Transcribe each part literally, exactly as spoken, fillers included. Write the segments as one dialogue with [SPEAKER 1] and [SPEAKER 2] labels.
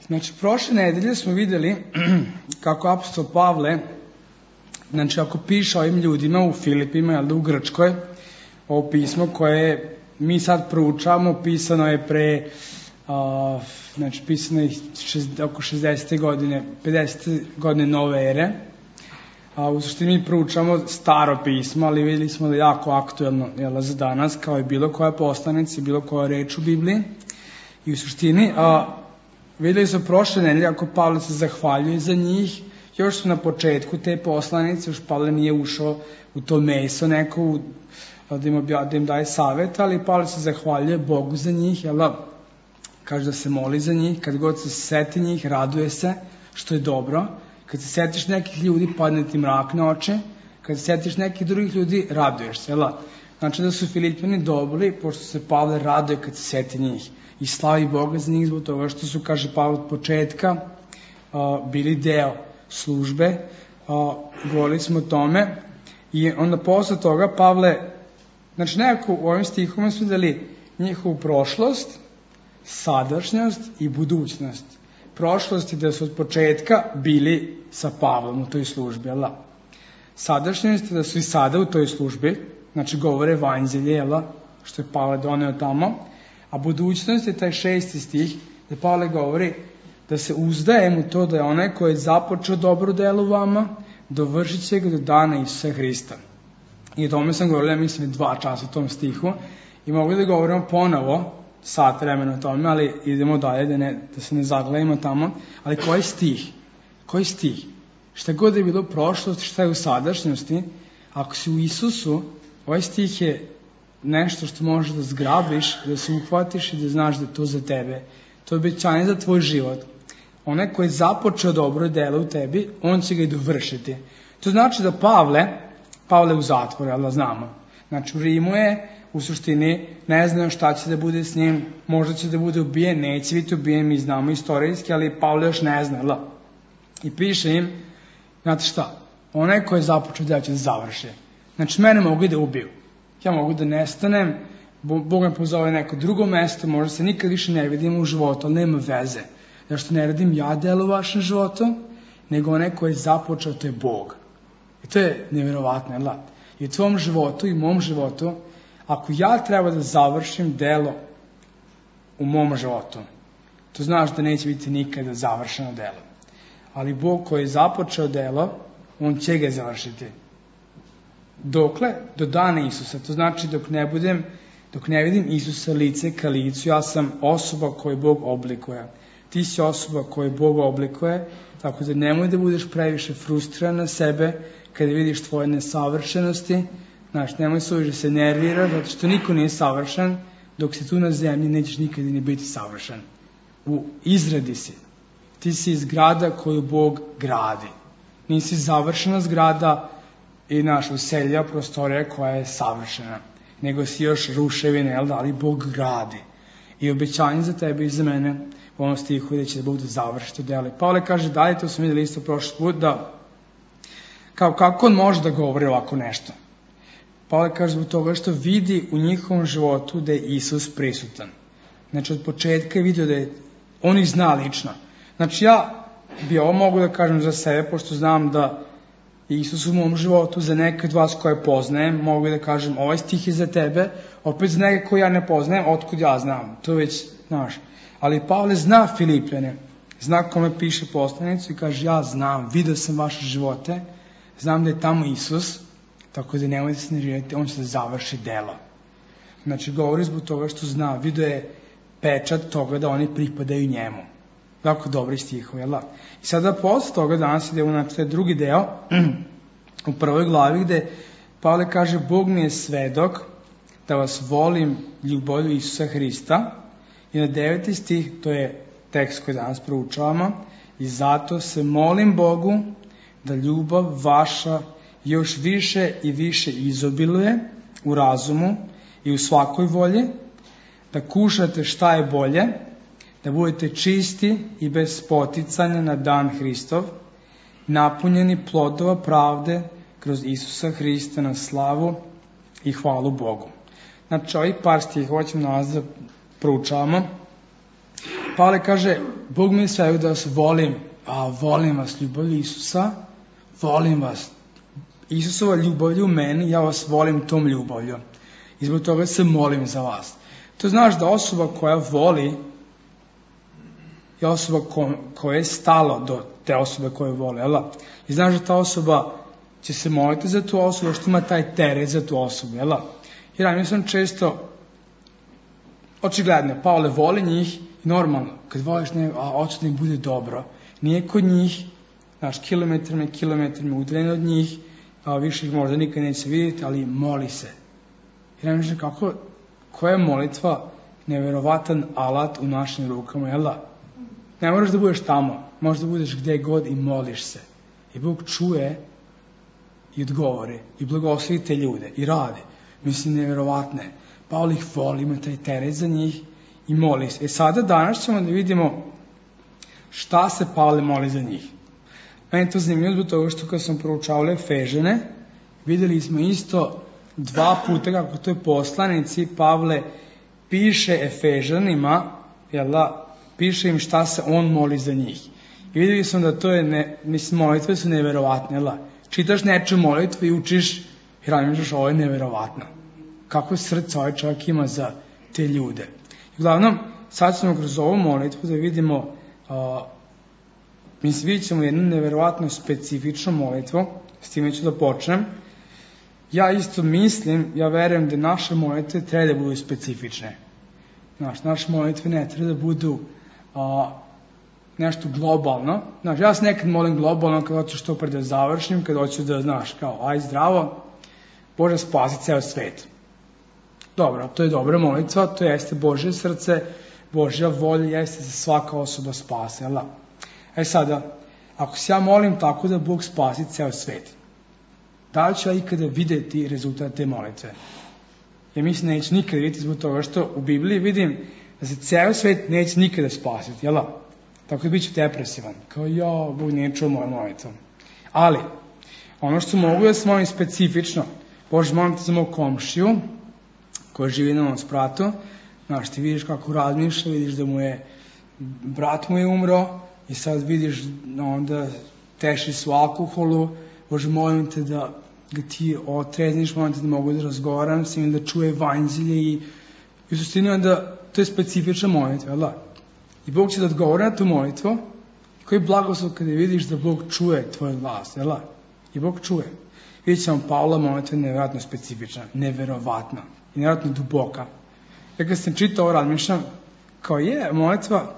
[SPEAKER 1] Znači, prošle nedelje smo videli kako apostol Pavle, znači ako piše ovim ljudima u Filipima, jel da, u Grčkoj, ovo pismo koje mi sad proučavamo, pisano je pre, uh, znači pisano je šest, oko šezdesete godine, pedesete godine nove ere. A u suštini mi proučamo staro pismo, ali videli smo da je jako aktuelno, jel, za danas, kao i bilo koja poslanica, bilo koja reč u Bibliji. I u suštini, a, videli smo prošle nedelje, ako Pavle se zahvaljuje za njih, još su na početku te poslanice, još Pavle nije ušao u to meso neko, da im, obja, da im daje savjet, ali Pavle se zahvaljuje Bogu za njih, jel, kaže da se moli za njih, kad god se seti njih, raduje se, što je dobro. Kad se setiš nekih ljudi, padne ti mrak na oči. Kad se setiš nekih drugih ljudi, raduješ se. Jel? Znači da su Filipljani dobri, pošto se Pavle raduje kad se seti njih. I slavi Boga za njih zbog toga što su, kaže Pavle, od početka uh, bili deo službe. Uh, govorili smo o tome. I onda posle toga Pavle, znači nekako u ovim stihom smo videli njihovu prošlost, sadašnjost i budućnost. Prošlost je da su od početka bili sa Pavlom u toj službi, jel? Sadašnjost je da su i sada u toj službi, znači govore evanđelje, jel? Što je Pavle doneo tamo, a budućnost je taj šesti stih, da Pavle govori da se uzdajem u to da je onaj koji je započeo dobro delo u vama, dovršit će ga do dana Isusa Hrista. I o tome sam govorila, mislim, dva časa u tom stihu, i mogu da govorimo ponovo, sat vremena o tome, ali idemo dalje, da, ne, da se ne zaglavimo tamo. Ali koji stih? Koji stih? Šta god je bilo u prošlosti, šta je u sadašnjosti, ako si u Isusu, ovaj stih je nešto što možeš da zgrabiš, da se uhvatiš i da znaš da je to za tebe. To je obećanje za tvoj život. Onaj koji je započeo dobro delo u tebi, on će ga i dovršiti. To znači da Pavle, Pavle u zatvoru, ali da znamo. Znači u Rimu je, u suštini, ne znaju šta će da bude s njim, možda će da bude ubijen, neće biti ubijen, mi znamo istorijski, ali Pavle još ne zna, la. I piše im, znate šta, onaj ko je započeo da će da završi. Znači, mene mogu da ubiju. Ja mogu da nestanem, Bog me pozove neko drugo mesto, možda se nikad više ne vidimo u životu, ali nema veze. Zašto ne radim ja delo u vašem životu, nego onaj ko je započeo, to je Bog. I to je nevjerovatno, jel? I u tvom životu i u mom životu, ako ja treba da završim delo u mom životu, to znaš da neće biti nikada završeno delo. Ali Bog koji je započeo delo, on će ga završiti. Dokle? Do dana Isusa. To znači dok ne budem, dok ne vidim Isusa lice ka licu, ja sam osoba koju Bog oblikuje. Ti si osoba koju Bog oblikuje, tako da nemoj da budeš previše frustriran na sebe kada vidiš tvoje nesavršenosti. Znaš, nemoj se uviše se nervira, zato što niko nije savršen, dok si tu na zemlji nećeš nikada ni biti savršen. U izradi si. Ti si zgrada koju Bog gradi. Nisi završena zgrada i naš uselja prostorija koja je savršena, nego si još ruševine, jel da, ali Bog gradi. I obećanje za tebe i za mene u ovom stihu da će da Bog da završi to delo. Pavle kaže dalje, to smo vidjeli isto prošli put, da kao kako on može da govori ovako nešto. Pavle kaže zbog toga što vidi u njihovom životu da je Isus prisutan. Znači od početka je vidio da je, on ih zna lično. Znači ja bi ovo mogu da kažem za sebe, pošto znam da Isus u mom životu, za neke od vas koje poznajem, mogu da kažem ovaj stih je za tebe, opet za neke koje ja ne poznajem, otkud ja znam, to već znaš. Ali Pavle zna Filipljane, zna kome piše poslanicu i kaže ja znam, vidio sam vaše živote, znam da je tamo Isus, tako da nemojte se nervirati, on će da završi delo. Znači, govori zbog toga što zna, vidio je pečat toga da oni pripadaju njemu. Tako dobri stihovi, jel da? I sada posle toga danas idemo na taj drugi deo, u prvoj glavi gde Pavle kaže Bog mi je svedok da vas volim ljubavlju Isusa Hrista. I na deveti stih, to je tekst koji danas proučavamo, i zato se molim Bogu da ljubav vaša još više i više izobiluje u razumu i u svakoj volji, da kušate šta je bolje, da budete čisti i bez poticanja na dan Hristov, napunjeni plodova pravde kroz Isusa Hrista na slavu i hvalu Bogu. Znači, ovih par stihova ćemo nas da proučavamo. Pavle kaže, Bog mi je sve da vas volim, a volim vas ljubav Isusa, volim vas. Isusova ljubavlju u meni, ja vas volim tom ljubavlju. I zbog toga se molim za vas. To znaš da osoba koja voli je osoba ko, koja je stala do te osobe koje vole. Jel? I znaš da ta osoba će se moliti za tu osobu, što ima taj teret za tu osobu. Jel? Jer ja sam često očigledno, Pavle voli njih i normalno, kad voliš ne, a hoće da im bude dobro. Nije kod njih, znaš, kilometrima i kilometrima udaljen od njih, a više ih možda nikad neće vidjeti, ali moli se. Jer ja mislim kako, koja je molitva neverovatan alat u našim rukama, jel da? Ne moraš da budeš tamo, možeš da budeš gde god i moliš se. I Bog čuje i odgovori i blagoslovi te ljude i rade. Mislim, neverovatne. Pavle ih voli, ima taj teret za njih i moli se. E sada danas ćemo da vidimo šta se Pavle moli za njih. Meni je to zanimljivo zbog toga što kad sam proučavao Efežane, videli smo isto dva puta kako to je poslanici Pavle piše Efežanima, jel da, piše im šta se on moli za njih. I videli smo da to je, ne, mislim, molitve su neverovatne, jel da? Čitaš nečiju molitvu i učiš i razmišljaš, ovo je neverovatno. Kako srce ovaj čovjek ima za te ljude. I uglavnom, sad ćemo kroz ovu molitvu da vidimo, uh, mislim, vidjet ćemo jednu neverovatno specifičnu molitvu, s time ću da počnem. Ja isto mislim, ja verujem da naše molitve treba da budu specifične. Znaš, naše molitve ne treba da budu a, nešto globalno. Znaš, ja se nekad molim globalno kad hoću što pre da završim, kad hoću da, znaš, kao, aj zdravo, Bože spasi ceo svet. Dobro, to je dobra molitva, to jeste Božje srce, Božja volja jeste da svaka osoba spase, jel da? E sada, ako se ja molim tako da Bog spasi ceo svet, da li ću ja ikada videti rezultat te molitve? Ja mislim da neću nikada vidjeti zbog toga što u Bibliji vidim da se ceo svet neće nikada spasiti, jel da? Tako da bit ću depresivan. Kao, ja, Bog nije čuo moju molitvu. Ali, ono što mogu da se molim specifično, Bože, molim te za mog komšiju, koji živi na ovom spratu, znaš, ti vidiš kako razmišlja, vidiš da mu je, brat mu je umro, i sad vidiš onda teši su alkoholu, Bože, molim te da ga ti otrezniš, molim te da mogu da razgovaram s njim, da čuje evanđelje i u suštini onda to je specifična molitva, jel da? I Bog će da odgovori na tu molitvu, koji je blagoslov kada vidiš da Bog čuje tvoj glas, jel da? I Bog čuje. Vidjet ćemo Pavla molitva je nevjerojatno specifična, neverovatna i nevjerojatno duboka. Ja kad sam čitao ovo razmišljam, kao je molitva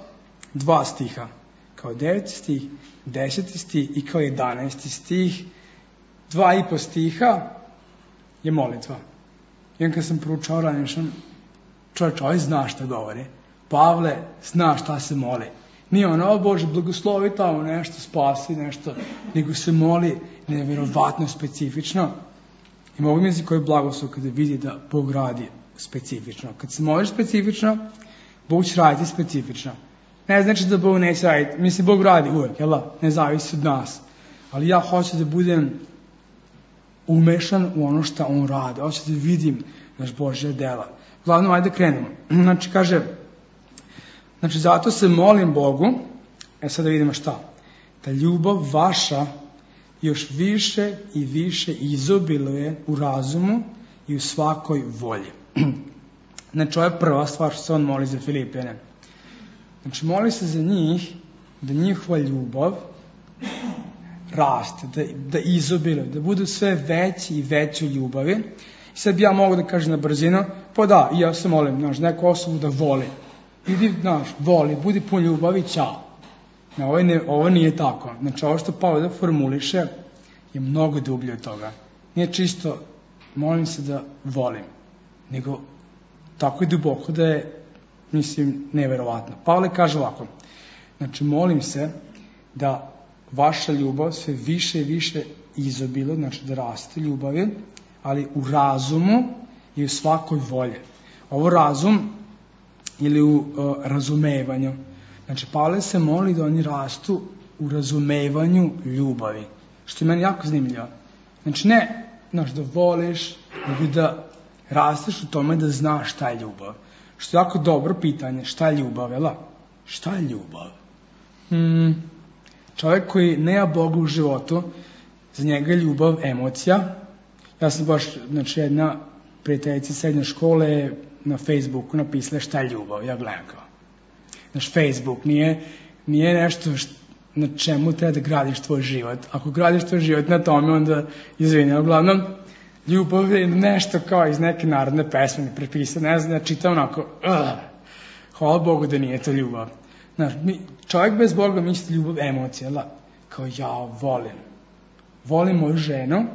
[SPEAKER 1] dva stiha, kao deveti stih, deseti stih i kao jedanaesti stih, dva i po stiha je molitva. I kad sam proučao razmišljam, čovječ, ovaj zna šta govori. Pavle zna šta se moli. Nije ono, o Bože, blagoslovi tamo nešto, spasi nešto, nego se moli nevjerovatno specifično. I mogu mi koji je blagoslov kada vidi da Bog radi specifično. Kad se moliš specifično, Bog će raditi specifično. Ne znači da Bog neće raditi. Mislim, Bog radi uvek, jel da? Ne zavisi od nas. Ali ja hoću da budem umešan u ono što on radi. Hoću da vidim naš Božja dela. Glavno, ajde krenemo. Znači, kaže, znači, zato se molim Bogu, e sad da vidimo šta, da ljubav vaša još više i više izobiluje u razumu i u svakoj volji. Znači, ovo je prva stvar što se on moli za Filipijane. Znači, moli se za njih, da njihova ljubav raste, da, da izobiluje, da budu sve veći i veći ljubavi. I sad bi ja mogu da kažem na brzinu, pa da, i ja se molim, znaš, neku osobu da voli. Idi, znaš, voli, budi pun ljubavi, ćao. No, ovo, ne, ovo nije tako. Znači, ovo što Pavle formuliše je mnogo dublje od toga. Nije čisto, molim se da volim, nego tako je duboko da je, mislim, neverovatno. Pavle kaže ovako, znači, molim se da vaša ljubav sve više i više izobilo, znači da raste ljubavi, ali u razumu i u svakoj volji. Ovo razum ili u uh, razumevanju. Znači, Pavle se moli da oni rastu u razumevanju ljubavi. Što je meni jako zanimljivo. Znači, ne, znaš, da voliš, nego da rasteš u tome da znaš šta je ljubav. Što je jako dobro pitanje, šta je ljubav, jel? Šta je ljubav? Hmm, čovjek koji nema Boga u životu, za njega je ljubav emocija. Ja sam baš, znači jedna prijateljica srednje škole na Facebooku napisala šta je ljubav. Ja gledam kao. Naš Facebook nije, nije nešto što, na čemu treba da gradiš tvoj život. Ako gradiš tvoj život na tome, onda izvini. Uglavnom, ljubav je nešto kao iz neke narodne pesme mi prepisao. Ne znam, ja čitam onako, uh, hvala Bogu da nije to ljubav. Znaš, mi, čovjek bez Boga misli ljubav emocija. La, kao ja volim. Volim moju ženu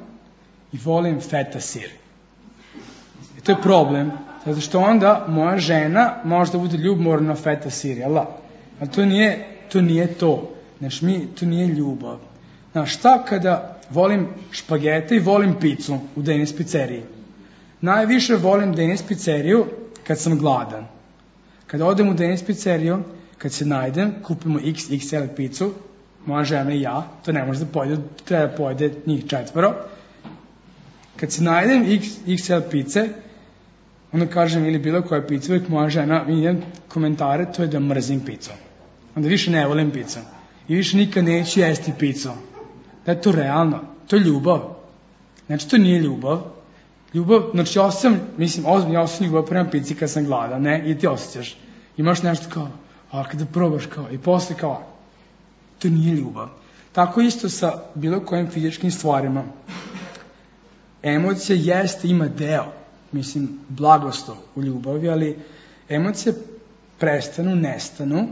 [SPEAKER 1] i volim feta sir. I to je problem. Zato što onda moja žena može da bude ljubomorna na feta sir. Jel da? Ali to nije to. Nije to. Znaš, mi, to nije ljubav. Znaš, šta kada volim špagete i volim picu u Denis pizzeriji? Najviše volim Denis pizzeriju kad sam gladan. Kada odem u Denis pizzeriju, kad se najdem, kupimo iks iks el picu, moja žena i ja, to ne može da pojede, treba da pojede njih četvoro. Kad se najdem iks iks el pice, onda kažem ili bilo koja pica, uvijek moja žena, vidim komentare, to je da mrzim picu. Onda više ne volim picu. I više nikad neću jesti picu. Da je to realno. To je ljubav. Znači, to nije ljubav. Ljubav, znači, ja sam, mislim, ozbiljno, ja sam ljubav prema pici kad sam gladan, ne? I ti osjećaš. Imaš nešto kao, a kada probaš kao, i posle kao, to nije ljubav. Tako isto sa bilo kojim fizičkim stvarima. Emocija jeste, ima deo, mislim, blagoslov u ljubavi, ali emocije prestanu, nestanu,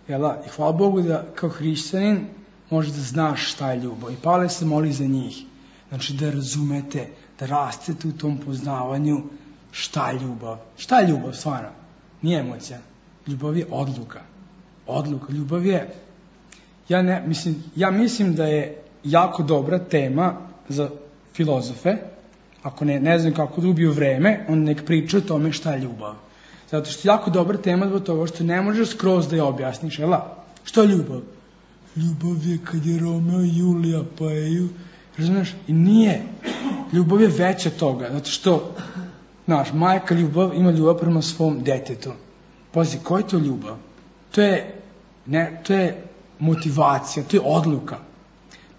[SPEAKER 1] jel, i hvala Bogu da kao hrišćanin možeš da znaš šta je ljubav. I Pavle se moli za njih. Znači da razumete, da rastete u tom poznavanju šta je ljubav. Šta je ljubav, stvarno? Nije emocija. Ljubav je odluka. Odluka. Ljubav je... Ja, ne, mislim, ja mislim da je jako dobra tema za filozofe. Ako ne, ne znam kako da ubiju vreme, on nek priča o tome šta je ljubav. Zato što je jako dobra tema zbog toga što ne možeš skroz da je objasniš. Jela? Šta je ljubav? Ljubav je kad je Romeo i Julija paju. Razumiješ? I nije. Ljubav je veća toga. Zato što, znaš, majka ljubav ima ljubav prema svom detetu. Pazi, koja je to ljubav? To je, ne, to je motivacija, to je odluka.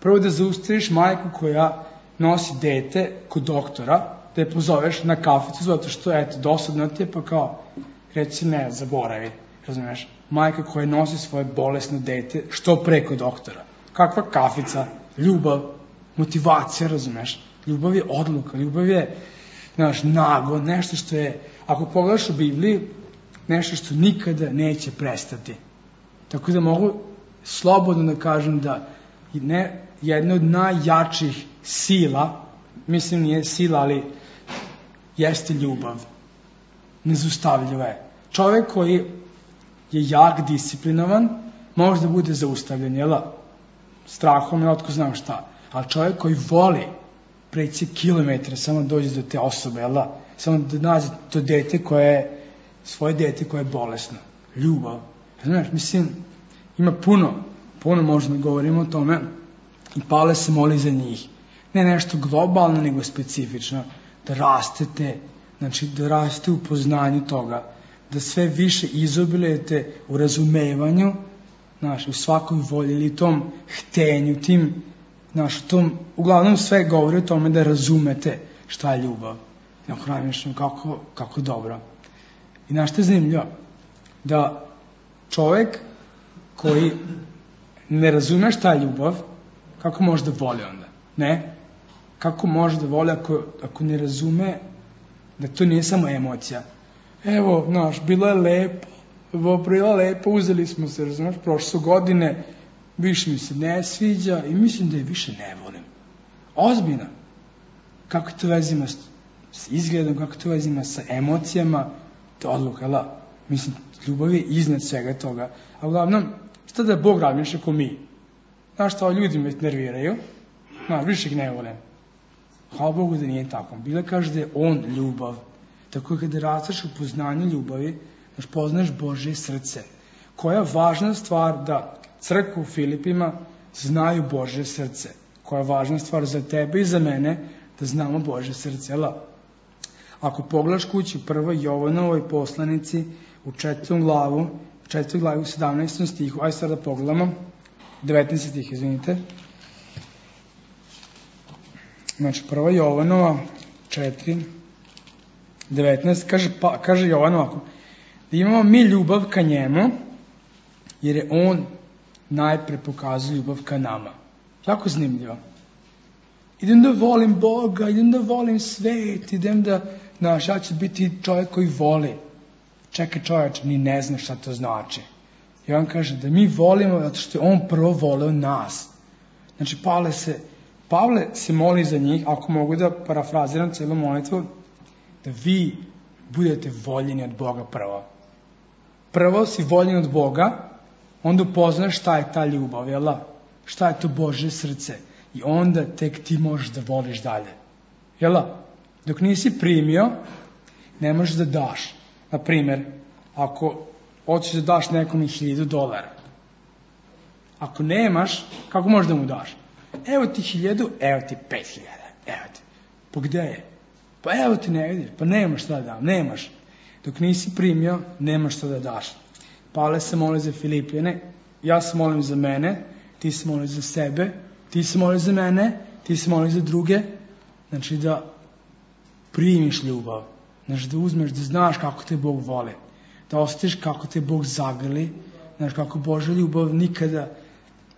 [SPEAKER 1] Prvo da zaustaviš majku koja nosi dete kod doktora, da je pozoveš na kaficu, zato što, eto, dosadno ti je, pa kao, reci ne, zaboravi, razumiješ? Majka koja nosi svoje bolesno dete, što preko doktora. Kakva kafica? Ljubav, motivacija, razumiješ? Ljubav je odluka, ljubav je, znaš, nago, nešto što je, ako pogledaš u Bibliji, nešto što nikada neće prestati. Tako da mogu slobodno da kažem da ne, jedna od najjačih sila, mislim nije sila, ali jeste ljubav. Nezaustavljiva je. Čovjek koji je jak, disciplinovan, može da bude zaustavljen, jel? Strahom, ja otko znam šta. Ali čovjek koji voli preći kilometre, samo dođe do te osobe, jel? Samo da nađe to dete koje je, svoje dete koje je bolesno. Ljubav. Znaš, mislim, ima puno, puno možemo da govorimo o tome i Pavle se moli za njih. Ne nešto globalno, nego specifično. Da rastete, znači da rastete u poznanju toga, da sve više izobilujete u razumevanju, znaš, u svakoj volji ili tom htenju, tim, znaš, tom, uglavnom sve govori o tome da razumete šta je ljubav. Ja hranim kako, kako dobro. I znaš što je zanimljivo? Da čovjek koji ne razume šta je ljubav, kako može da voli onda? Ne? Kako može da voli ako, ako ne razume da to nije samo emocija? Evo, znaš, bilo je lepo, evo, bilo lepo, uzeli smo se, razumiješ, prošle su godine, više mi se ne sviđa i mislim da je više ne volim. Ozbiljno. Kako to vezima s, s izgledom, kako to vezima sa emocijama, to je odluka, ali, mislim, ljubav je iznad svega toga. A uglavnom, šta da Bog razmišlja ako mi? Znaš šta, ljudi me nerviraju, znaš, više ih ne volim. Hvala Bogu da nije tako. Bila kaže da je On ljubav. Tako kada rastaš u poznanju ljubavi, znaš, poznaš Božje srce. Koja je važna stvar da crkva u Filipima znaju Božje srce. Koja je važna stvar za tebe i za mene da znamo Božje srce. Jel? Ako pogledaš kući u prvoj Jovanovoj poslanici u četvrtom glavu, četvrtoj glavi u sedamnaestom stihu, ajde sad da pogledamo, devetnaesti stih, izvinite. Znači, prva Jovanova, četiri, devetnaest, kaže, pa, kaže Jovan ovako, da imamo mi ljubav ka njemu, jer je on najpre pokazuje ljubav ka nama. Jako zanimljivo. Idem da volim Boga, idem da volim svet, idem da, znaš, ja ću biti čovjek koji voli. Čekaj čovječ, ni ne zna šta to znači. I on kaže da mi volimo zato što je on prvo voleo nas. Znači, Pavle se, Pavle se moli za njih, ako mogu da parafraziram celu molitvu, da vi budete voljeni od Boga prvo. Prvo si voljen od Boga, onda upoznaš šta je ta ljubav, jel da? Šta je to Božje srce. I onda tek ti možeš da voliš dalje. Jel da? Dok nisi primio, ne možeš da daš. Na primjer, ako hoćeš da daš nekom hiljadu dolara, ako nemaš, kako možeš da mu daš? Evo ti hiljadu, evo ti pet hiljada, evo ti. Pa gde je? Pa evo ti ne vidiš, pa nemaš šta da dam, nemaš. Dok nisi primio, nemaš šta da daš. Pavle se moli za Filipijane, ja se molim za mene, ti se moli za sebe, ti se moli za mene, ti se moli za druge. Znači da primiš ljubav, znači da uzmeš, da znaš kako te Bog voli, da osjetiš kako te Bog zagrli, znači kako Božja ljubav nikada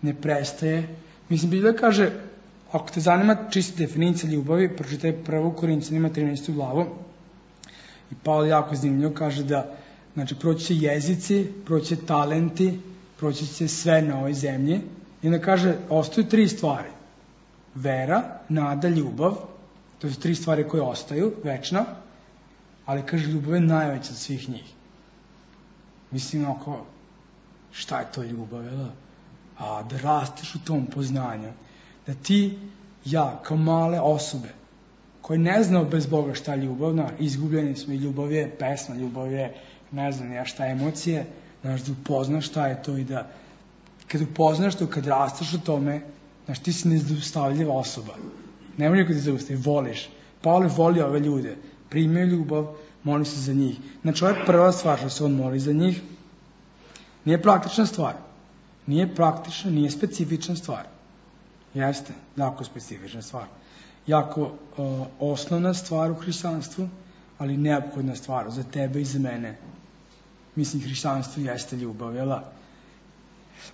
[SPEAKER 1] ne prestaje. Mislim, Biblija kaže, ako te zanima čista definicija ljubavi, pročitaj prvu Korinćanima trinaestu glavu. I Pavle jako zanimljivo kaže da, znači, proći će jezici, proći će talenti, proći će sve na ovoj zemlji. I onda kaže, ostaju tri stvari. Vera, nada, ljubav. To su tri stvari koje ostaju, večno. Ali kaže, ljubav je najveća od svih njih. Mislim, ako, šta je to ljubav, jel? A da rasteš u tom poznanju. Da ti, ja, kao male osobe, koji ne znao bez Boga šta je ljubav, na, izgubljeni smo i ljubav je pesma, ljubav je, ne znam ja šta, emocije, znaš, da upoznaš šta je to i da, kad upoznaš to, kad rasteš u tome, znaš, ti si nezaustavljiva osoba. Ne može kad te zaustavi, voliš. Pavle voli ove ljude, primio ljubav, moli se za njih. Znači, ovo je prva stvar što se on moli za njih. Nije praktična stvar. Nije praktična, nije specifična stvar. Jeste, jako specifična stvar. Jako uh, osnovna stvar u hrišćanstvu, ali neophodna stvar za tebe i za mene. Mislim, hrišćanstvo jeste ljubav, jel da?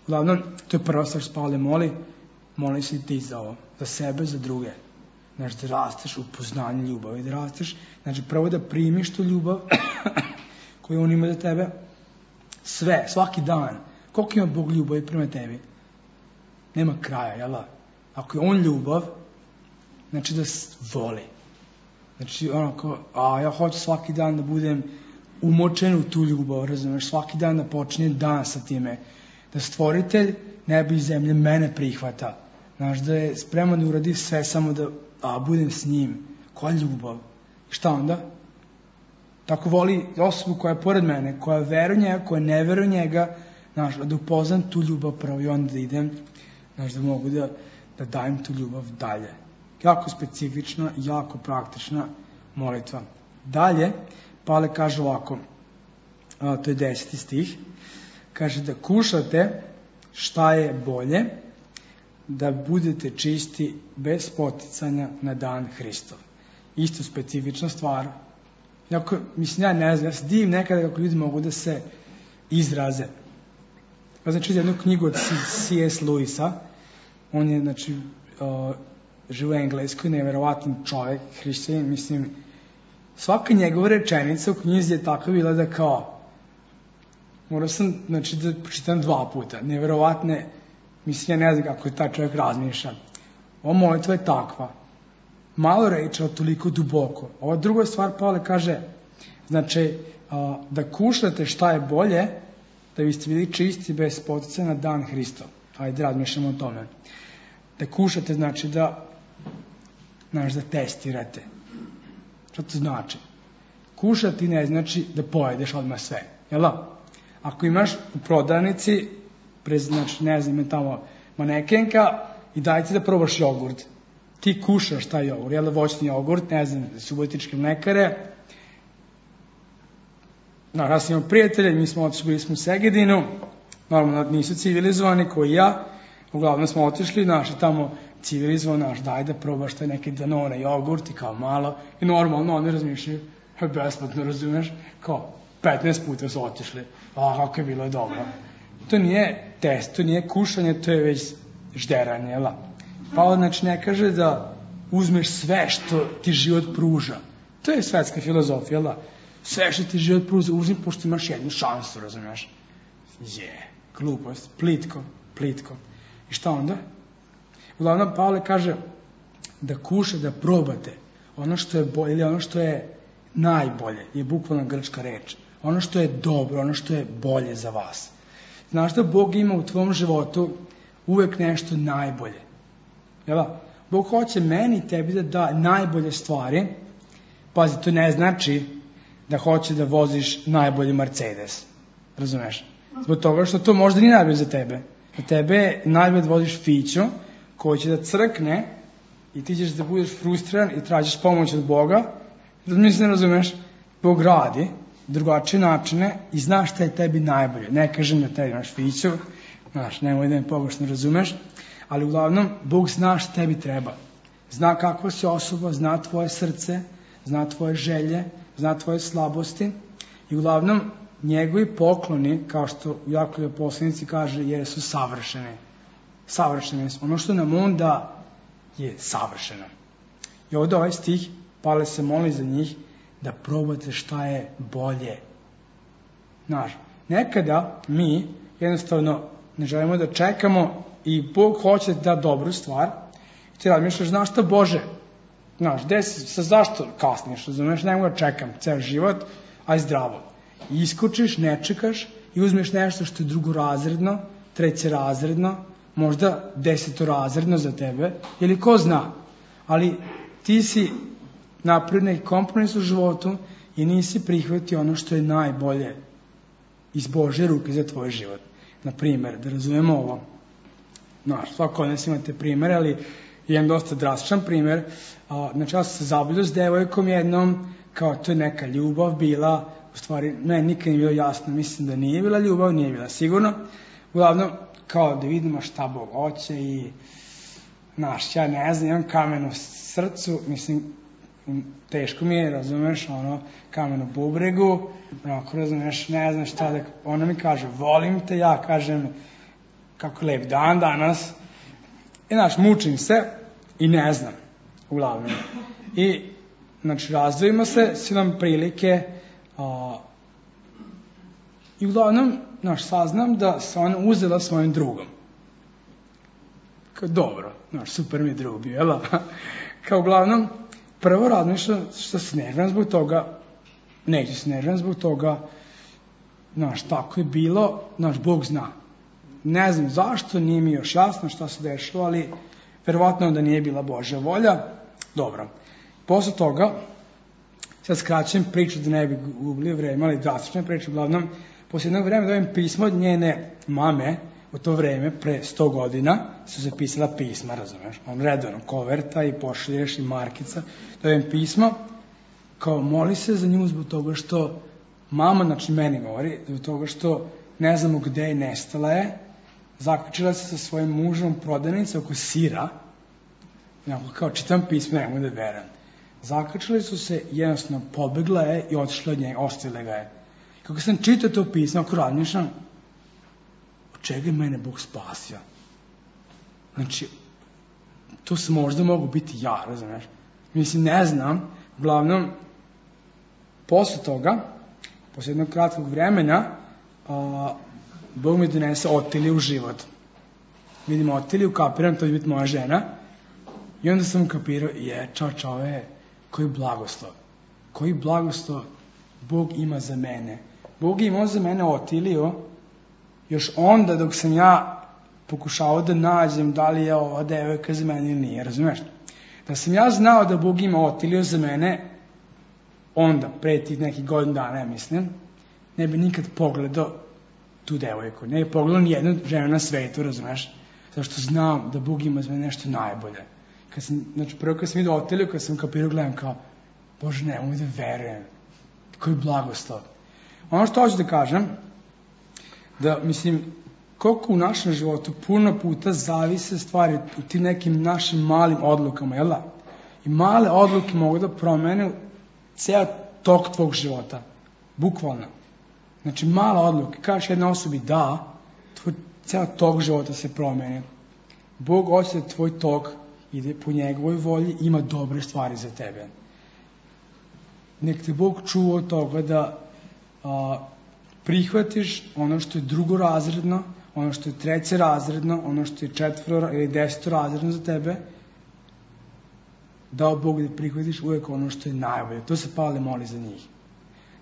[SPEAKER 1] Uglavnom, to je prva stvar što Pavle moli, moli se i ti za ovo, za sebe, za druge. Znači, da rasteš u poznanju ljubavi, da rasteš, znači, prvo da primiš tu ljubav koju on ima za tebe, sve, svaki dan. Koliko ima Bog ljubavi prema tebi? Nema kraja, jel da? Ako je on ljubav, znači da voli. Znači, onako, a ja hoću svaki dan da budem umočen u tu ljubav, razumeš, svaki dan da počnem dan sa time, da stvoritelj neba i zemlje mene prihvata, znaš, da je spreman da uradi sve samo da a, budem s njim. Koja ljubav? Šta onda? Tako voli osobu koja je pored mene, koja veruje njega, koja ne veruje njega, znaš, da upoznam tu ljubav pravo i onda da idem, znaš, da mogu da, da dajem tu ljubav dalje. Jako specifična, jako praktična molitva. Dalje, Pavle kaže ovako, a, to je deseti stih, kaže da kušate šta je bolje, da budete čisti bez poticanja na dan Hristov. Isto specifična stvar. Jako, mislim, ja ne znam, ja se divim nekada kako ljudi mogu da se izraze. Ja znači jednu knjigu od C S Lewisa, on je, znači, uh, živo u Engleskoj, neverovatan čovjek, hrišćanin, mislim, svaka njegova rečenica u knjizi je tako bila da kao, morao sam, znači, da pročitam dva puta, neverovatne, mislim, ja ne znam kako je taj čovjek razmišlja. Ova molitva je takva, malo reči, ali toliko duboko. Ova druga stvar, Pavle kaže, znači, uh, da kušate šta je bolje, da biste bili čisti bez poticaja na dan Hristov. Ajde, razmišljamo o tome. Da kušate znači da, znaš, da testirate. Šta to znači? Kušati ne znači da pojedeš odmah sve. Jel da? Ako imaš u prodavnici, prez, znači, ne znam, tamo manekenka i dajte da probaš jogurt. Ti kušaš taj jogurt, jel da, voćni jogurt, ne znam, subotičke mlekare, No, ja sam imao prijatelje, mi smo otišli, bili smo u Segedinu, normalno nisu civilizovani koji ja, uglavnom smo otišli, naši tamo civilizovani, naš, daj da probaš taj neki Danone jogurt i kao malo, i normalno oni razmišljaju, besplatno, razumeš, kao petnaest puta su otišli, a kako je bilo dobro. To nije test, to nije kušanje, to je već žderanje, jel? Pa znači ne kaže da uzmeš sve što ti život pruža. To je svetska filozofija, jel? Sve što ti život pruža, uzmi pošto imaš jednu šansu, razumeš? Je, glupost, plitko, plitko. I šta onda? Uglavnom, Pavle kaže da kuša, da probate ono što je bolje, ili ono što je najbolje, je bukvalno grčka reč. Ono što je dobro, ono što je bolje za vas. Znaš da Bog ima u tvom životu uvek nešto najbolje. Jel? Bog hoće meni i tebi da da najbolje stvari. Pazi, to ne znači da hoće da voziš najbolji Mercedes. Razumeš? Zbog toga što to možda nije najbolje za tebe. Za tebe je najbolje da voziš Fiću koji će da crkne i ti ćeš da budeš frustriran i tražiš pomoć od Boga. Mislim, ne razumeš? Bog radi drugačije načine i znaš šta je tebi najbolje. Ne kažem da tebi imaš Fiću, znaš, nemoj da me pogrešno razumeš, ali uglavnom Bog zna šta tebi treba. Zna kakva si osoba, zna tvoje srce, zna tvoje želje, zna tvoje slabosti i uglavnom njegovi pokloni, kao što u Jakovljevoj poslanici kaže, jesu savršene. Savršene su. Ono što nam on da je savršeno. I ovdje ovaj stih, Pavle se moli za njih, da probate šta je bolje. Znaš, nekada mi jednostavno ne želimo da čekamo i Bog hoće da da dobru stvar i ti razmišljaš, znaš šta Bože, znaš, gde si, sa zašto kasniš, razumeš, ne mogu da čekam ceo život, aj zdravo. I iskočiš, ne čekaš i uzmeš nešto što je drugorazredno, trećerazredno, možda desetorazredno za tebe, ili ko zna, ali ti si napravio neki kompromis u životu i nisi prihvatio ono što je najbolje iz Božje ruke za tvoj život. Na primjer, da razumemo ovo, znaš, svako od nas imate primjer, ali jedan dosta drastičan primjer, a, znači ja sam se zaboljio s devojkom jednom, kao to je neka ljubav bila, u stvari, ne, nikad nije bilo jasno, mislim da nije bila ljubav, nije bila sigurno, uglavnom, kao da vidimo šta Bog hoće i, znaš, ja ne znam, imam kamen u srcu, mislim, teško mi je, razumeš, ono, kamen u bubregu, onako, razumeš, ne znam šta da, ona mi kaže, volim te, ja kažem, kako lep dan danas, i, znaš, mučim se i ne znam, uglavnom. I, znači, razdvojimo se, si nam prilike, a, i uglavnom, znaš, saznam da se ona uzela svojim drugom. Kao, dobro, znaš, super mi je drug bio, jel? Kao, uglavnom, prvo razmišljam što se nerviram zbog toga, neću se nerviram zbog toga, znaš, tako je bilo, znaš, Bog zna. Ne znam zašto, nije mi još jasno šta se dešava, ali verovatno da nije bila Božja volja. Dobro. Posle toga, sad skraćujem priču da ne bi gubili vreme, ali drastične priče, uglavnom, posle jednog vremena dobijem pismo od njene mame, u to vreme, pre sto godina, su se pisala pisma, razumeš, on redovno koverta i pošalješ i markica, dobijem pismo, kao moli se za nju zbog toga što mama, znači meni govori, zbog toga što ne znamo gde je, nestala je, zaključila se sa svojim mužom prodavnice oko sira, kao čitam pismo, ne mogu da verujem. Zaključili su se, jednostavno pobegla je i otišla od njega, ostavila ga je. Kako sam čitao to pismo, ako razmišljam, od čega je mene Bog spasio? Znači, to se možda mogu biti ja, razumiješ? Mislim, ne znam, uglavnom, posle toga, posle jednog kratkog vremena, a, Bog mi donese Otiliju u život. Vidim Otiliju, kapiram, to će biti moja žena, i onda sam kapirao, je, čao, čao, je, koji blagoslov, koji blagoslov Bog ima za mene. Bog je imao za mene Otiliju, još onda dok sam ja pokušao da nađem da li je ova devojka za mene ili nije, razumiješ? Da sam ja znao da Bog ima Otiliju za mene, onda, pre tih nekih godina dana, ja mislim, ne bi nikad pogledao tu devojku, ne bi pogledao ni jednu ženu na svetu, razumiješ? Zašto znam da Bog ima za mene nešto najbolje. Kad sam, znači, prvo kad sam vidio Otiliju, kad sam kapirao, gledam kao, Bože, ne mogu da verujem, koji blagoslov. Ono što hoću da kažem, da mislim, koliko u našem životu puno puta zavise stvari u tim nekim našim malim odlukama, jel da? I male odluke mogu da promene ceo tok tvog života. Bukvalno. Znači, mala odluka. Kažeš jednoj osobi da, tvoj ceo tok života se promene. Bog hoće da tvoj tok ide po njegovoj volji, ima dobre stvari za tebe. Nek te Bog čuva od toga da a, prihvatiš ono što je drugorazredno, ono što je trećerazredno, ono što je četvoro ili desetorazredno za tebe, dao Bog da prihvatiš uvek ono što je najbolje. To se Pavle moli za njih.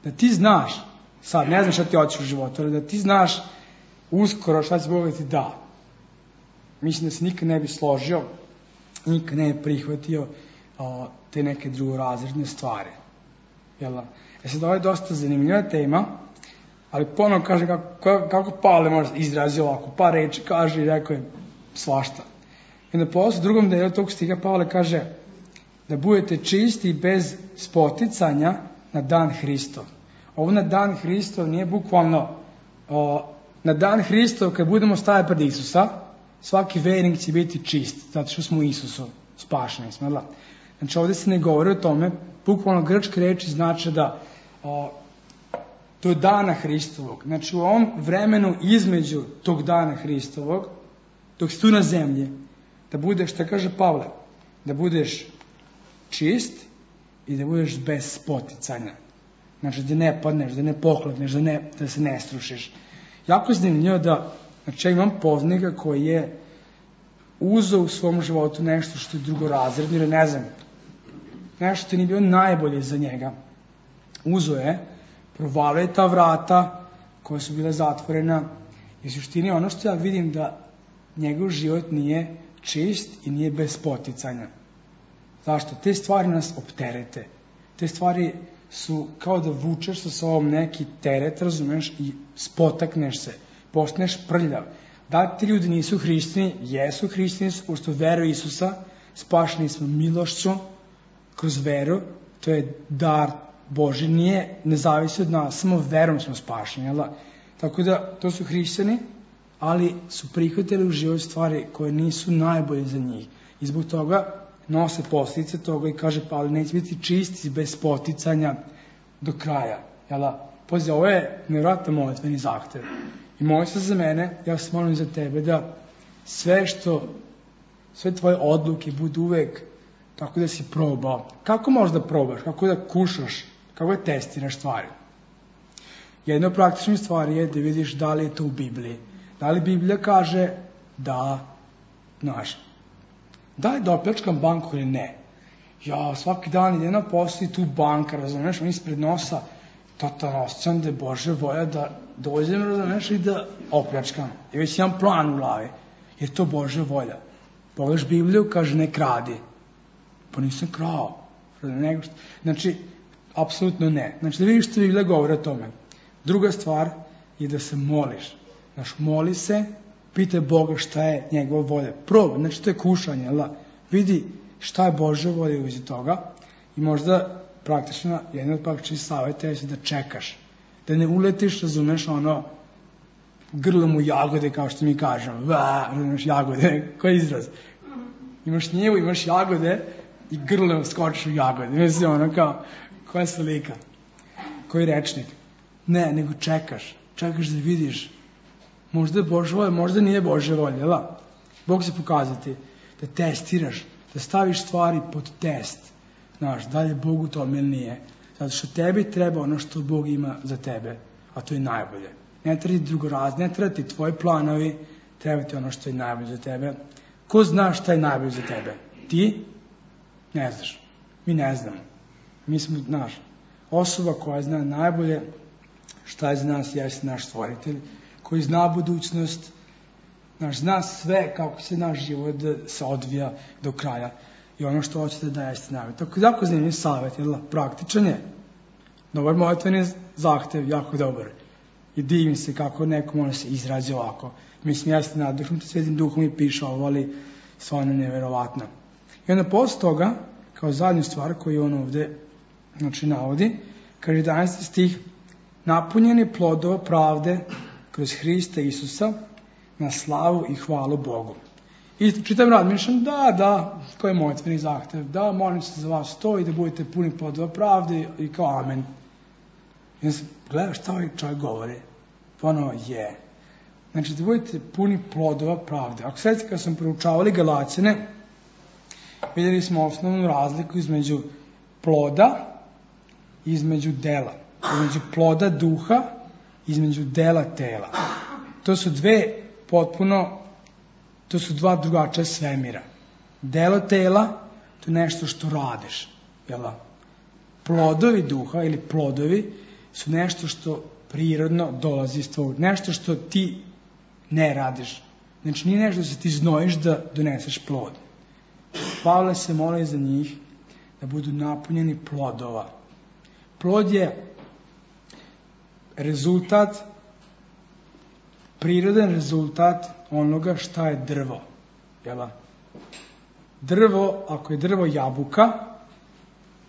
[SPEAKER 1] Da ti znaš, sad ne znam šta ti hoćeš u životu, ali da ti znaš uskoro šta će Bog da ti da. Mislim da se nikad ne bi složio, nikad ne bi prihvatio a, te neke drugorazredne stvari. Jel? E sad, ovo je dosta zanimljiva tema, ali ponovno kaže kako, kako Pavle može izrazi ovako, par reči kaže i rekao je svašta. I onda posle u drugom delu tog stiha Pavle kaže da budete čisti bez spoticanja na dan Hristov. Ovo na dan Hristov nije bukvalno o, na dan Hristov kad budemo stajati pred Isusa, svaki vernik će biti čist, zato što smo u Isusu spašeni. Smo, znači ovdje se ne govori o tome, bukvalno grčke reči znači da o, do dana Hristovog. Znači u ovom vremenu između tog dana Hristovog, dok si tu na zemlji, da budeš, šta kaže Pavle, da budeš čist i da budeš bez spoticanja. Znači da ne padneš, da ne poklekneš, da, ne, da se ne strušiš. Jako je zanimljivo da, znači ja imam poznanika koji je uzeo u svom životu nešto što je drugorazredno ili ne znam, nešto što nije bilo najbolje za njega. Uzeo je, provalio je ta vrata koja su bile zatvorena i u suštini ono što ja vidim da njegov život nije čist i nije bez spoticanja. Zašto? Te stvari nas opterete. Te stvari su kao da vučeš sa sobom neki teret, razumeš, i spotakneš se, postaneš prljav. Da ti ljudi nisu hrišćani, jesu hrišćani, pošto veruju Isusa, spašeni smo milošću kroz veru, to je dar Boži, nije, ne zavisi od nas, samo verom smo spašeni, jel da? Tako da, to su hrišćani, ali su prihvatili u život stvari koje nisu najbolje za njih. I zbog toga nose posljedice toga i kaže Pavle, neće biti čisti bez poticanja do kraja. Jel da? Pazi, ovo je nevjerojatno molitveni zahtev. I moli se za mene, ja se molim za tebe da sve što, sve tvoje odluke budu uvek tako da si probao. Kako možeš da probaš? Kako da kušaš? Kako da testiraš stvari? Jedna od praktičnih stvari je da vidiš da li je to u Bibliji. Da li Biblija kaže da, znaš, da li da opljačkam banku ili ne? Ja svaki dan idem na posao i tu banka, razumeš, on ispred nosa, totalno osjećam da je Božja volja da dođem, razumeš, i da opljačkam. I već imam plan u glavi. Je to Božja volja. Pogledaš Bibliju, kaže ne kradi. Pa nisam krao. Znači, apsolutno ne. Znači, da vidiš što Biblija govori o tome. Druga stvar je da se moliš. Znači, moli se, pitaj Boga šta je njegova volja. Probaj, znači to je kušanje, jel da? Vidi šta je Božja volja uzi toga i možda praktično, jedan od praktičnih savjeta je da čekaš. Da ne uletiš, razumeš, ono, grlom u jagode, kao što mi kažemo. Va, razumeš, jagode, koji izraz? Imaš njivu, imaš jagode i grlom skočiš u jagode. Mislim, ono, kao, koja slika? Koji rečnik? Ne, nego čekaš. Čekaš da vidiš. Možda je Božja volja, možda nije Božja volja, jel da? Bog će pokazati da testiraš, da staviš stvari pod test. Znaš, da li je Bog u tome ili nije. Zato što tebi treba ono što Bog ima za tebe, a to je najbolje. Ne treba ti drugorazne, ne treba ti tvoji planovi, treba ti ono što je najbolje za tebe. Ko zna šta je najbolje za tebe? Ti? Ne znaš. Mi ne znamo. Mi smo, znaš, osoba koja zna najbolje šta je za nas, jeste naš stvoritelj, koji zna budućnost, naš, zna sve kako se naš život se odvija do kraja i ono što hoćete da jeste najbolje. Tako jako zanimljiv savjet, jel, praktičan je. Dobar molitveni zahtev, jako dobar. I divim se kako neko može se izrazi ovako. Mislim, jeste naddušnuti Svetim Duhom i piše ovo, ali stvarno nevjerovatno. I onda posle toga, kao zadnju stvar koju on ovde, znači, navodi, kaže jedanaesti stih, napunjeni plodova pravde kroz Hrista Isusa na slavu i hvalu Bogu. I čitam razmišljam, da, da, koji je mojitveni zahtev, da, molim se za vas to i da budete puni plodova pravde i kao amen. I onda sam gledao šta ovaj čovjek govori. Ponovo je. Znači da budete puni plodova pravde. Ako sad kad sam proučavali Galaćane, vidjeli smo osnovnu razliku između ploda i između dela. Između ploda duha i između dela tela. To su dve potpuno, to su dva drugačija svemira. Delo tela, to je nešto što radiš. Jel? Plodovi duha ili plodovi su nešto što prirodno dolazi iz tvojeg. Nešto što ti ne radiš. Znači nije nešto da se ti znojiš da doneseš plod. Pavle se moli za njih da budu napunjeni plodova. Plod je rezultat, prirodan rezultat onoga šta je drvo. Jel? Drvo, ako je drvo jabuka,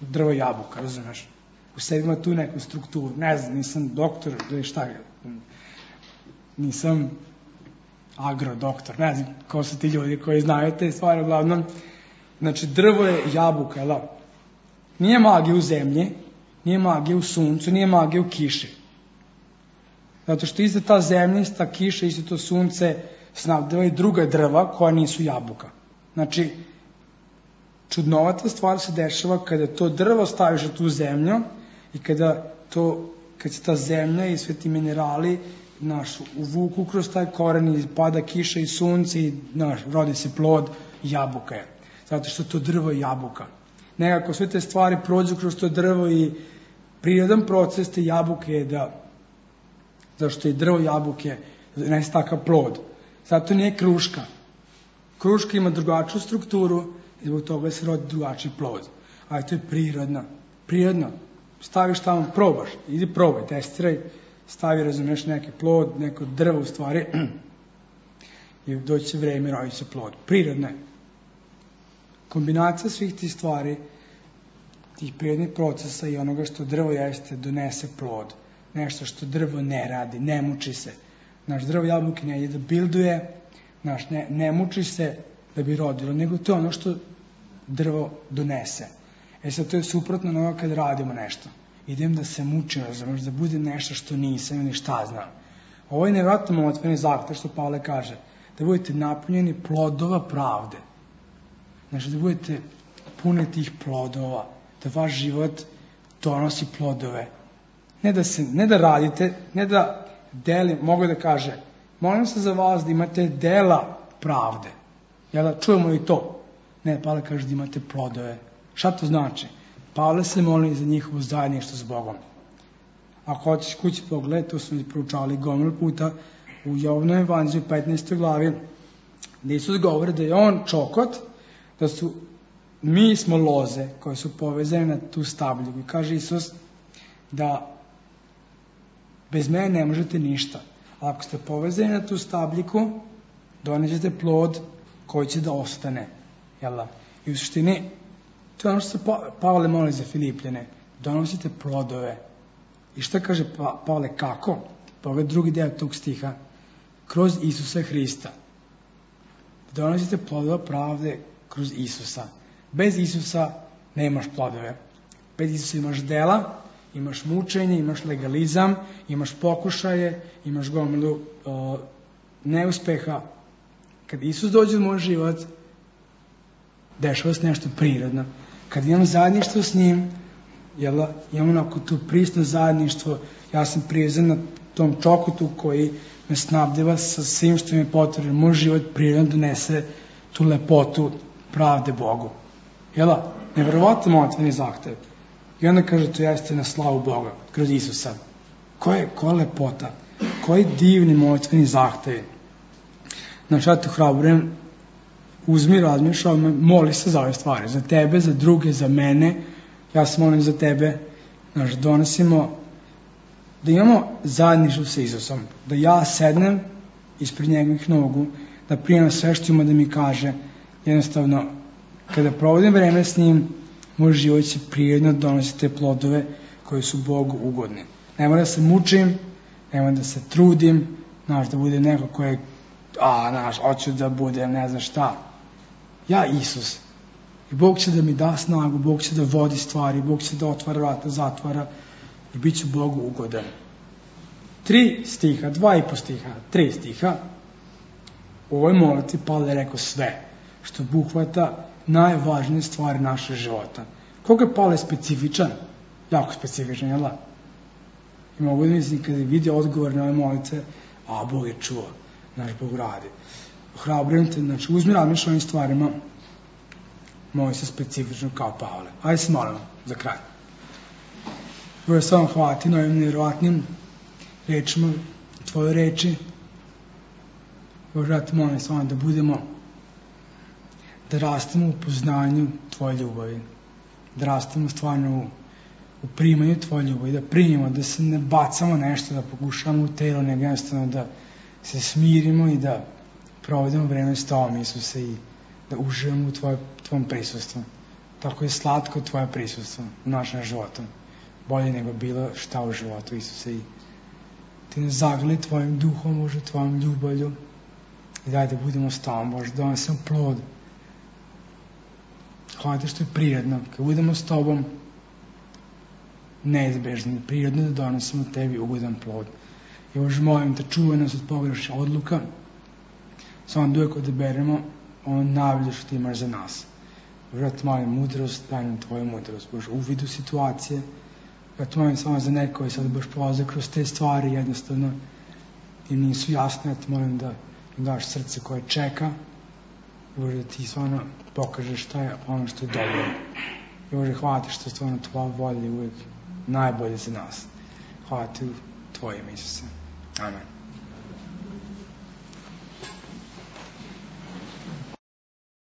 [SPEAKER 1] drvo jabuka, razumeš? U sebi ima tu neku strukturu. Ne znam, nisam doktor, ili šta je. Nisam agrodoktor, ne znam ko su ti ljudi koji znaju te stvari, uglavnom. Znači, drvo je jabuka, jel? Nije magija u zemlji, nije magija u suncu, nije magija u kiši. Zato što isto ta zemlja, isto ta kiša, isto to sunce snabdeva i druga drva koja nisu jabuka. Znači, čudnovata stvar se dešava kada to drvo staviš na tu zemlju i kada to, kad se ta zemlja i sve ti minerali naš, uvuku kroz taj koren i pada kiša i sunce i naš, rodi se plod, jabuka je. Zato što to drvo je jabuka. Nekako sve te stvari prođu kroz to drvo i prirodan proces te jabuke je da, zašto je drvo jabuke, ne je takav plod. Zato nije kruška. Kruška ima drugačiju strukturu i zbog toga se rodi drugačiji plod. Ali to je prirodno. Prirodno. Staviš tamo, probaš. Idi probaj, testiraj. Stavi, razumeš, neki plod, neko drvo u stvari. I doći će vreme, rodi se plod. Prirodno je. Kombinacija svih tih stvari, tih prirodnih procesa i onoga što drvo jeste, donese plod. Nešto što drvo ne radi, ne muči se. Naš drvo jabuke ne ide da bilduje, naš ne, ne muči se da bi rodilo, nego to je ono što drvo donese. E sad, to je suprotno na ovo kad radimo nešto. Idem da se mučim, razumiješ, da bude nešto što nisam ili šta znam. Ovo je nevjerojatno moćveni zahtev što Pavle kaže, da budete napunjeni plodova pravde. Znači, da budete puni tih plodova, da vaš život donosi plodove. Ne da, se, ne da radite, ne da deli, mogu da kaže, molim se za vas da imate dela pravde. Jel da čujemo i to? Ne, Pavle kaže da imate plodove. Šta to znači? Pavle se moli za njihovo zajedništvo s Bogom. Ako hoćeš kući pogled, to smo proučavali gomilu puta u Jovanovom evanđelju petnaestoj glavi, gde Isus govori da je on čokot, da su, mi smo loze koje su povezane na tu stabljiku. I kaže Isus da bez mene ne možete ništa. A ako ste povezani na tu stabljiku, donećete plod koji će da ostane. Jel? I u suštini, to je ono što se pa, Pavle moli za Filipljane. Donosite plodove. I šta kaže pa, Pavle, kako? Pogledaj drugi deo tog stiha. Kroz Isusa Hrista. Donosite plodove pravde kroz Isusa. Bez Isusa nemaš plodove. Bez Isusa imaš dela, imaš mučenje, imaš legalizam, imaš pokušaje, imaš gomilu uh, neuspeha. Kad Isus dođe u moj život, dešava se nešto prirodno. Kad imam zajedništvo s njim, jel, imam onako tu prisno zajedništvo, ja sam privezan na tom čokotu koji me snabdeva sa svim što mi je potrebno. Moj život prirodno donese tu lepotu pravde Bogu. Jel, nevjerovatno moćveni zahtev. I onda kaže, to jeste na slavu Boga, kroz Isusa. Ko je, ko je lepota? Koji divni moćveni zahtevi? Znači, ja te hrabrujem, uzmi, razmišljaj, moli se za ove stvari. Za tebe, za druge, za mene. Ja se molim za tebe. Znači, donosimo, da imamo zajedništvo sa Isusom. Da ja sednem ispred njegovih nogu, da primam sve što ima da mi kaže. Jednostavno, kada provodim vreme s njim, moj život će prijedno donositi te plodove koji su Bogu ugodni. Ne mora da se mučim, ne mora da se trudim, znaš, da budem neko ko je, a, znaš, hoću da budem, ne znam šta. Ja Isus. I Bog će da mi da snagu, Bog će da vodi stvari, Bog će da otvara vrata, zatvara i bit ću Bogu ugodan. Tri stiha, dva i po stiha, tri stiha. U ovoj molitvi Pavle je rekao sve, što obuhvata najvažnije stvari našeg života. Koliko je Pavle specifičan? Jako specifičan, jel da? I mogu da mislim, kada vidi odgovor na ove molitve, a Bog je čuo, naš Bog radi. Ohrabrujem te, znači uzmi razmišljaj o ovim stvarima, moli se specifično kao Pavle. Ajde se molimo za kraj. Bože, sve vam hvala ti na ovim nevjerovatnim rečima, tvoje reči. Bože, ja te molim s vama da budemo, da rastemo u poznanju tvoje ljubavi, da rastemo stvarno u, u primanju tvoje ljubavi, da primimo, da se ne bacamo nešto, da pokušamo u telo, nego jednostavno da se smirimo i da provedemo vreme s tobom, Isuse, i da uživamo u tvoje, tvojom prisustvu. Tako je slatko tvoje prisustvo u našem životu. Bolje nego bilo šta u životu, Isuse, i ti ne zagrli tvojim duhom, Bože, tvojom ljubavlju, i daj da budemo s tobom, Bože, da donesemo plod. Hvala te što je prirodno, kad budemo s tobom, neizbežno, prirodno da donesemo tebi ugodan plod. I Bože, molim te, čuvaj nas od pogrešnih odluka, samo da uvijek odaberemo ono najbolje što ti imaš za nas. Bože, ja te molim mudrost, daj nam tvoju mudrost, Bože, uvid u situacije. Ja te molim samo za neko i sad baš prolaze kroz te stvari, jednostavno im nisu jasne, ja te molim da im daš srce koje čeka, Bože, da ti stvarno pokažeš šta je ono što je dobro. I Bože, hvala ti što je stvarno tvoja volja uvijek najbolje za nas. Hvala ti u tvojim, Isuse. Amen.